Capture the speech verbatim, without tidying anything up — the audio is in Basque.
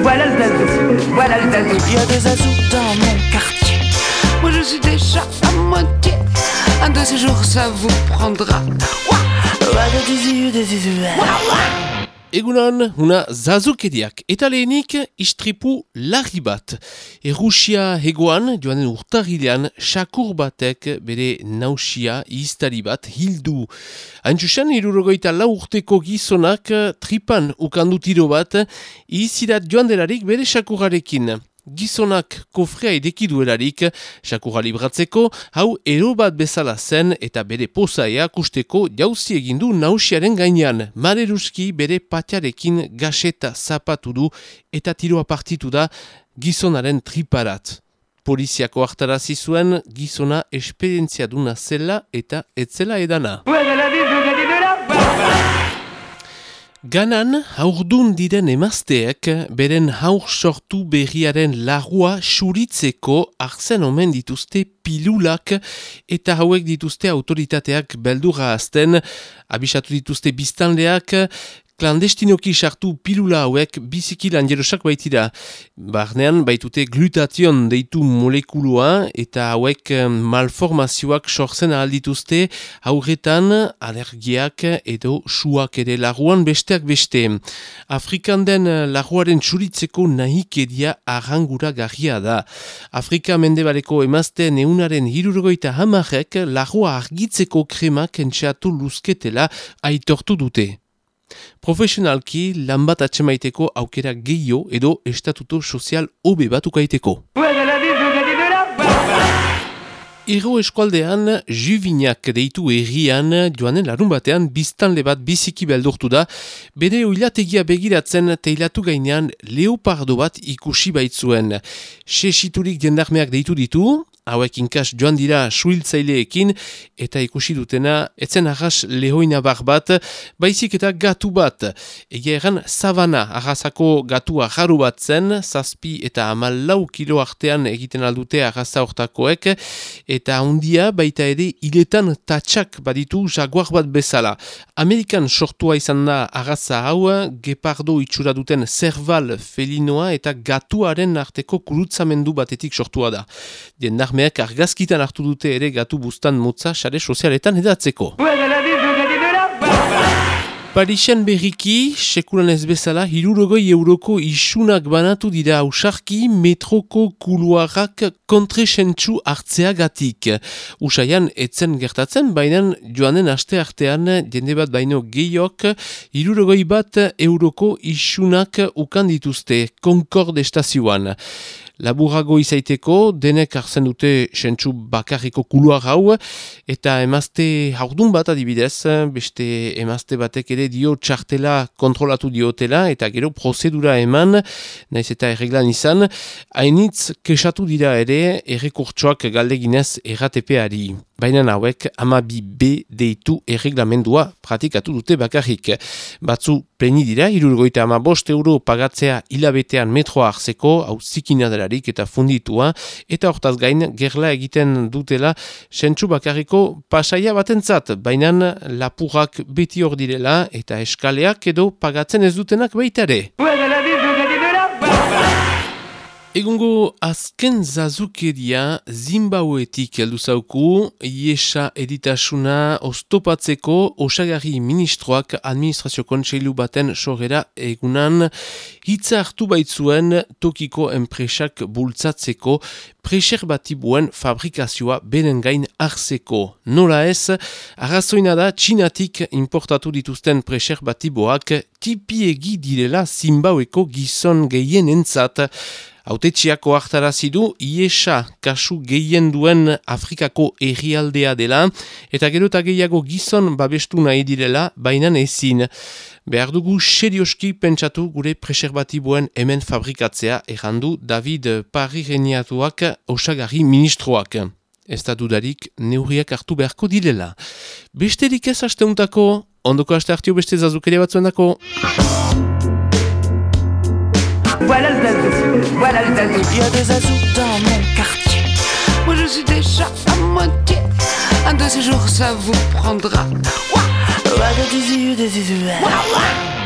voilà le zazou, voilà le zazou. Il y a des zazous dans mon quartier. Moi je suis déjà à moitié. Un de ces jours ça vous prendra. Egunon, una zazukeriak. Eta lehenik, istripu larri bat. Errusia hegoan, joanen urtarrilean, sakur batek bere nausia iztari bat hildu. Haintxusen, irurogoita lau urteko gizonak tripan ukandu tiro bat, izirat joan delarik bere sakurarekin. Gizonak kofrea edeki duelarik, sakurra libratzeko, hau ero bat bezala zen eta bere pozaea kusteko jauzi egindu nausiaren gainean. Mareruski bere patiarekin gaseta zapatu du eta tiroa partitu da gizonaren triparat. Poliziako hartarazi zuen gizona esperientzia duna zela eta etzela edana. Ganan, haurdun diren emazteek, beren haur sortu berriaren lagua suritzeko arzen omen dituzte pilulak eta hauek dituzte autoritateak beldurra azten, abisatu dituzte biztanleak, klandestinoki sartu pilula hauek biziki lanjerosak baitira. Barnean baitute glutation deitu molekulua eta hauek malformazioak sortzen ahal dituzte haurretan alergiak edo suak ere laguan besteak beste. Afrikan den laguaren txuritzeko nahikeria arrangura garria da. Afrika mendebaleko emazteen eunaren hirurgoita hamarek lagua argitzeko kremak entxeatu luzketela aitortu dute. Profesionalki lan bat atxemaiteko aukera gehiago edo estatuto sozial hobe bat ukaiteko. Ero eskualdean, Juvinak deitu errian, joanen larun batean biztanle bat biziki beldurtu da, bere oilategia begiratzen teilatu gainean leopardo bat ikusi baitzuen. Sesiturik jendarmeak deitu ditu, hauek inkas joan dira suhiltzaileekin eta ikusi dutena etzen arras lehoina bar bat, baizik eta gatu bat. Egia egan sabana arrasako gatua jaru bat zen, zazpi eta hamalau kilo artean egiten aldute arrasa hortakoek, eta handia baita ere hiletan tatsak baditu jaguar bat bezala. Amerikan sortua izan da arrasa hau, gepardo itxura duten zerbal felinoa eta gatuaren arteko kurutzamendu batetik sortua da. Jendar Meak argazkitan hartu dute ere gatu bustan motza sare sozialetan edatzeko. Parisen berriki, sekulan ez bezala, hirurogoi euroko isunak banatu dira ausarki metroko kuluarrak kontresentsu hartzeagatik. Usaian etzen gertatzen, baina joanen aste artean jende bat baino gehiok hirurogoi bat euroko isunak ukan dituzte Concorde estazioan. Laburago izaiteko, denek hartzen dute sentsu bakarriko kuluar hau, eta emazte haurdun bat adibidez, beste emazte batek ere dio txartela kontrolatu diotela, eta gero prozedura eman, naiz eta erreglan izan, hainitz kesatu dira ere errekurtsoak galdeginez erratepeari. Baina hauek hamabi B deitu erreglamendua pratikatu dute bakarrik. Batzu pleni dira, hirurgoita hamabost euro pagatzea hilabetean metroa hartzeko, hau zikina delarik eta funditua, eta hortaz gain gerla egiten dutela sentsu bakarriko pasaia batentzat, baina lapurrak beti hor direla eta eskaleak edo pagatzen ez dutenak baitare. Egungo azken zazukeria Zimbabwetik heldu zauku, iesa editasuna oztopatzeko osagarri ministroak administrazio kontseilu baten sorrera egunan hitza hartu baitzuen tokiko enpresak bultzatzeko preserbatibuen fabrikazioa beren gain hartzeko. Nola ez, arrazoina da Txinatik importatu dituzten preserbatiboak tipiegi direla Zimbabweko gizon gehien entzat. Autetxiako hartarazi du iesa kasu gehien duen Afrikako herrialdea dela eta gero eta gehiago gizon babestu nahi direla, baina ezin. Behar dugu serioski pentsatu gure preserbatiboen hemen fabrikatzea, errandu David Parrireniatuak osagarri ministroak. Ez da dudarik neurriak hartu beharko direla. Besterik ez asteuntako, ondoko aste hartio beste zazukeria batzuen dako. Voilà le zazou, voilà le zazou. Il y a des zazous dans mon quartier. Moi je suis déjà à moitié. Un de ces jours ça vous prendra. Ouah, ouah, ouah, ouah.